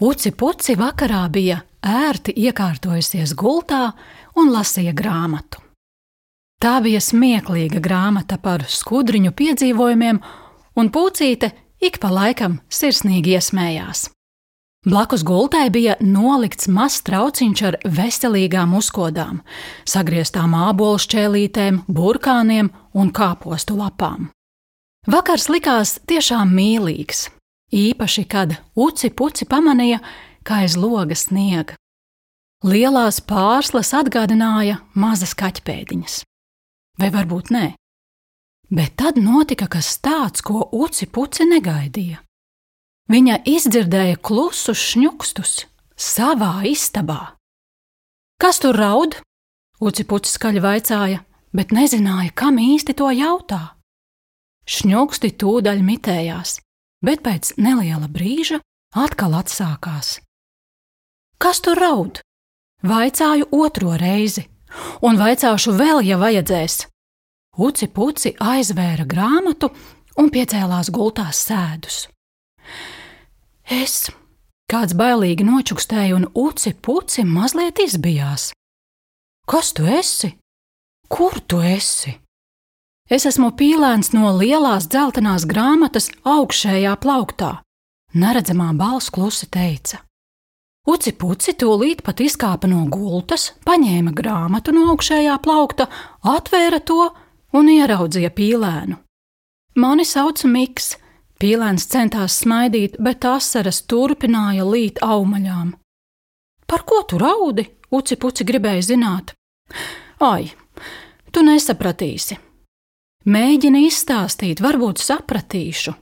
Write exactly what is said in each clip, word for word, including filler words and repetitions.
Uci Puci vakarā bija ērti iekārtojusies gultā un lasīja grāmatu. Tā bija smieklīga grāmata par skudriņu piedzīvojumiem, un Pucīte ik pa laikam sirsnīgi iesmējās. Blakus gultai bija nolikts mazs trauciņš ar veselīgām uzkodām, sagrieztām ābolu šķēlītēm, burkāniem un kāpostu lapām. Vakars likās tiešām mīlīgs, īpaši, kad Uci Puci pamanīja, ka aiz loga sniega. Lielās pārslas atgādināja mazas kaķpēdiņas. Vai varbūt nē? Bet tad notika kas tāds, ko Uci Puci negaidīja. Viņa izdzirdēja klusus šņukstus savā istabā. Kas tur raud? Uci Puci skaļi vaicāja, bet nezināja, kam īsti to jautā. Šņuksti tūdaļ mitējās, bet pēc neliela brīža atkal atsākās. Kas tur raud? Vaicāju otro reizi, un vaicāšu vēl, ja vajadzēs. Uci Puci aizvēra grāmatu un piecēlās gultās sēdus. Es, kāds bailīgi nočukstēja, un Uci Puci mazliet izbijās. Kas tu esi? Kur tu esi? Es esmu pīlēns no lielās dzeltenās grāmatas augšējā plauktā, neredzamā balss klusi teica. Uci Puci tūlīt pat izkāpa no gultas, paņēma grāmatu no augšējā plaukta, atvēra to un ieraudzīja pīlēnu. Mani sauc Miks. Pīlēns centās smaidīt, bet asaras turpināja līt aumaļām. Par ko tu raudi? Uci Puci gribēja zināt. Ai, tu nesapratīsi. Mēģini izstāstīt, varbūt sapratīšu.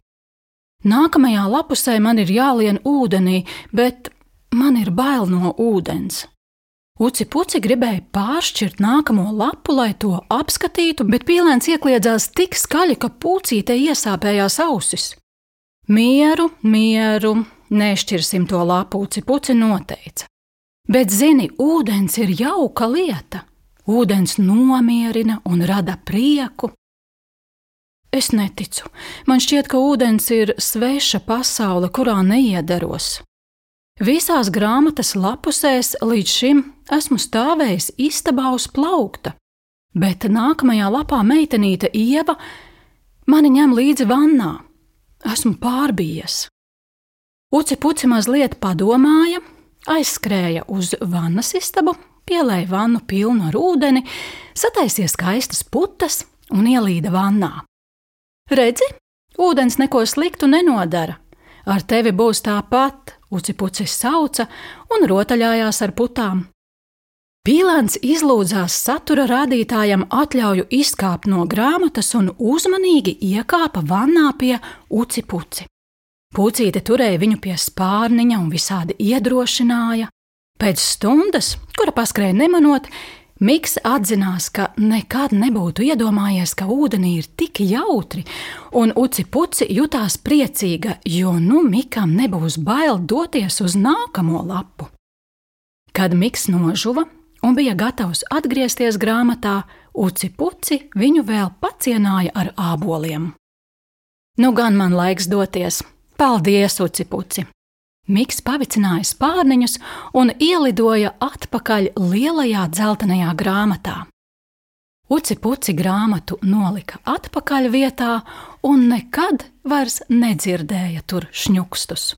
Nākamajā lapusē man ir jālien ūdenī, bet man ir bail no ūdens. Uci Puci gribēja pāršķirt nākamo lapu, lai to apskatītu, bet pīlēns iekliedzās tik skaļi, ka Pucītei iesāpējās ausis. Mieru, mieru, nešķirsim to lapu, Uci Puci noteica. Bet zini, ūdens ir jauka lieta. Ūdens nomierina un rada prieku. Es neticu. Man šķiet, ka ūdens ir sveša pasaule, kurā neiedaros. Visās grāmatas lapusēs līdz šim esmu stāvējis istabā uz plaukta, bet nākamajā lapā meitenīte Ieva mani ņem līdzi vannā. Esmu pārbijies. Uci Puci mazliet padomāja, aizskrēja uz vannas istabu, pielēja vannu pilnu ar ūdeni, sataisīja skaistas putas un ielīda vannā. Redzi, ūdens neko sliktu nenodara. Ar tevi būs tāpat, Uci Puci sauca un rotaļājās ar putām. Pīlēns izlūdzās satura rādītājam atļauju izkāpt no grāmatas un uzmanīgi iekāpa vannā pie Uci Puci. Pucīte turēja viņu pie spārniņa un visādi iedrošināja. Pēc stundas, kura paskrēja nemanot, Miks atzinās, ka nekad nebūtu iedomājies, ka ūdenī ir tik jautri, un Uci Puci jutās priecīga, jo nu Mikam nebūs bail doties uz nākamo lapu. Kad Miks nožuva un bija gatavs atgriezties grāmatā, Uci Puci viņu vēl pacienāja ar āboliem. Nu gan man laiks doties. Paldies, Uci Puci! Miks pavicināja spārniņus un ielidoja atpakaļ lielajā dzeltenajā grāmatā. Uci Puci grāmatu nolika atpakaļ vietā un nekad vairs nedzirdēja tur šņukstus.